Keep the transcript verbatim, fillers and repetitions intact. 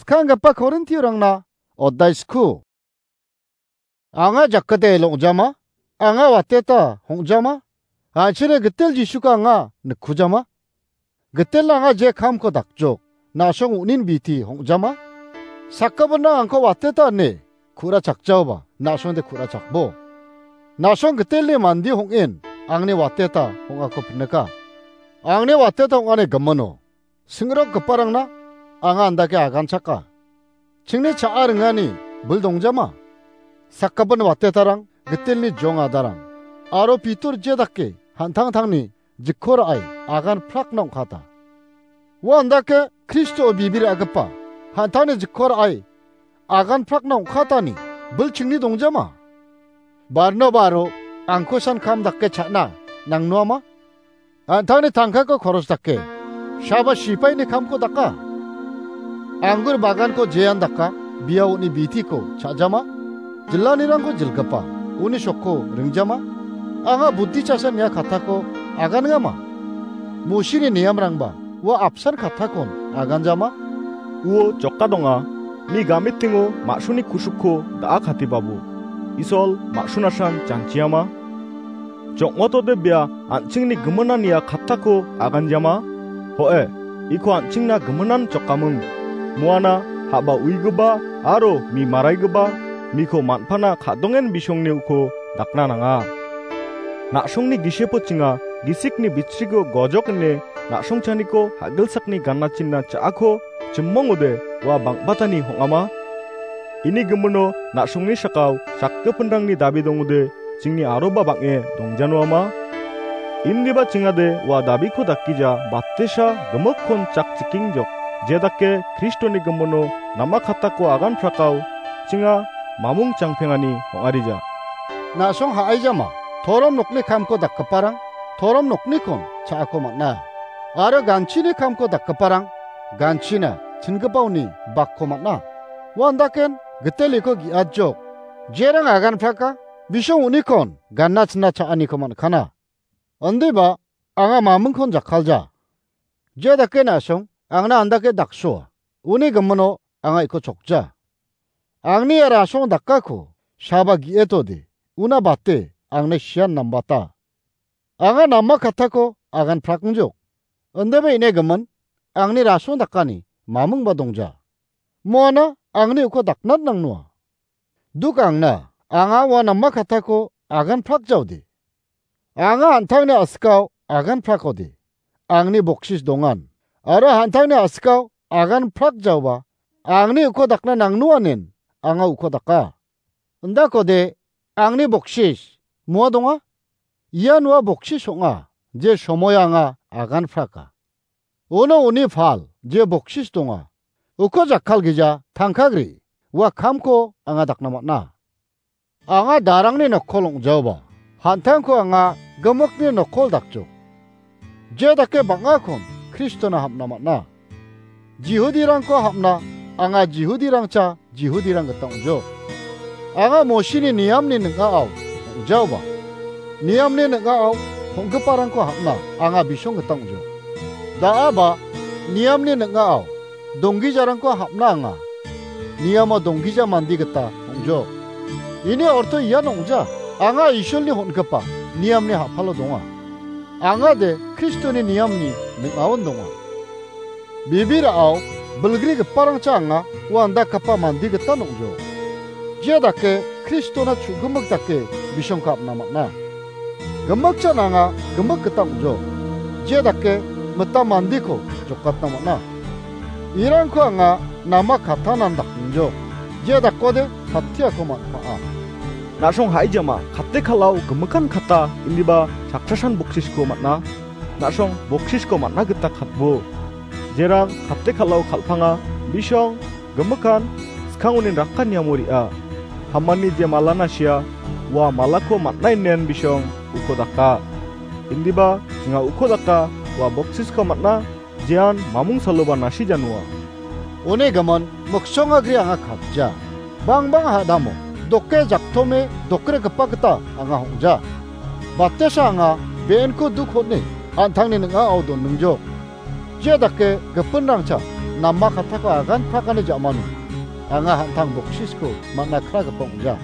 Skanggipa Korintiorangna odai sku. Anga jakade longja ma? Anga wateta hongja ma? An·chingni gitel Jisuko anga nikkuja ma? Gitelna anga je kamko dakjok, na·song unin biti hongja ma? Sakgipinna angko wateta ine ku·ra chakjaoba, na·songde ku·ra chakbo. Na·song gitelni mandi hong·en angni wateta hong·ako pinika. Angni wateta hong·ani gimino singrokgiparangna anga andake aganchaka. Chingni cha·a ringani bil dongjama? Sakgipin watetarang, gitelni jong adarang, aro Pitor je dake han·tangtangni jikko ra·e agan prakna ong·kata. Ua andake Kristo bibir agipa han·tangni jikko ra·e agan prakna ong·katani bil chingni dongjama? Barnobaro angko san kam dake cha·na nangnoama? An·tangni tangkako koros dake, saba sipaini kamko daka. Anggur baganko jean daka, bia uni bitiko cha·jama? Jillanirangko jilgipa, uni sokko ringjama? Anga buddhi cha·sa nia katako agangama? Mosini niamrangba ua apsan katakon aganjama? Uo joka donga, mi gametingo ma·suni kusukko da·a katibabo, Isol ma·sunasan janchiama? Jokmotode bia an·chingni giminania kattako aganjama? Ho·e, iko an·chingna giminan jokaming. Muana ha·ba uigiba aro mi maraigiba miko man·pana ka·dongen bisongni uko dakna nanga. Na·songni gisepochinga gisikni bichrigo gojok ine na·songchaniko ha·gilsakni ganachinna cha·ako chimongode ua bang·batani hong·ama? Ini gimino na·songni sakao sakgipinrangni dabi dongode chingni aroba bang·e dongjanuama? Indiba chingade ua dabiko dakgija batesa gimikkon chak chikengjok, jedake Kristoni gimino nama katako agan prakao chinga mamung changpengani ong·arija. Na·song ha·aijama, torom nokni kamko dakgiparang torom noknikon cha·ako man·a. Aro ganchini kamko dakgiparang ganchina chingipaoni bakko man·a. Uandaken giteliko gi·ajok, jerang agan praka, bisong unikon ganna chinna cha·aniko man·kana. Indiba anga mamingkon jakkalja. Je dake na·song angna andake daksoa, uni gimino anga iko chokja. Angni ia rasong dakako saba gi·etode, una bate angni sian nambata. Anga nama katako agan prakengjok. Indiba ine gimin, angni rasong dakani mamingba dongja. Moana angni uko daknan nangnoa. Duk angna, anga ua nama katako agan prakjaode. Anga an·tangni a·sikao agan prakode, angni boksis dongan. Aro an·tangni a·sikao agan prakjaoba, angni uko dakna nangnoanen anga uko daka. Indakode, angni boksis moa donga? Ian ua boksis ong·a, je somoio anga agan praka. Uno uni pal, je boksis donga, uko jakkalgija tangkagri, ua kamko anga dakna man·a. Anga darangni nokkol ong·jaoba, an·tangko anga gimikni nokkol dakjok. Je dake bang·akon Kristona hapna man·a. Jihudirangko hapna, anga Jihudirangcha Jihudirang gita ong·jok. Anga Mosini niamni ning·ao ong·jaoba, niamni ning·ao hong·giparangko hapna anga bisong gita ong·jok. Da·aba niamni ning·ao donggijarangko hapna anga niamo donggija mande gita ong·jok. Ini orto ian ong·ja, anga Isolni hon·gipa niamni ha·palo donga. Angade Kristoni niamni ning·aon donga. Bibirao bilgrigiparangcha anga uandakgipa mande gita ong·jok. Je dake Kristona chu·gimik dake bisongko apna man·a. Gimikchan anga gimik gita ong·jok. Je dake mitam mandeko jokatna man·a. Irangko anga nama katanan dakngjok. Je dakode katiako man·pa'a. Na·song haijama, kate kal·ao gimikan kata indiba chakchasan boksisko man·a. Na·song boksisko man·a gita katbo. Jerang kate kal·ao kal·panga, bisong, gimikan, skangonin rakaniamo re·a. Hamani je malana sia, ua malako man·a inen bisong uko daka. Indiba chinga uko daka, ua boksisko man·a, jean mamung saloba nasi janua. One gimin miksongagri anga katja. Bangbang hadamo, doke jaktome dokregipa gita anga hong·ja. Batesa anga be·enko duk hone an·tangni ning·ao donningjok. Je dake gipinrangcha nama kattako aganprakani ja·mano anga an·tang boksisko man·a kragipa ong·ja.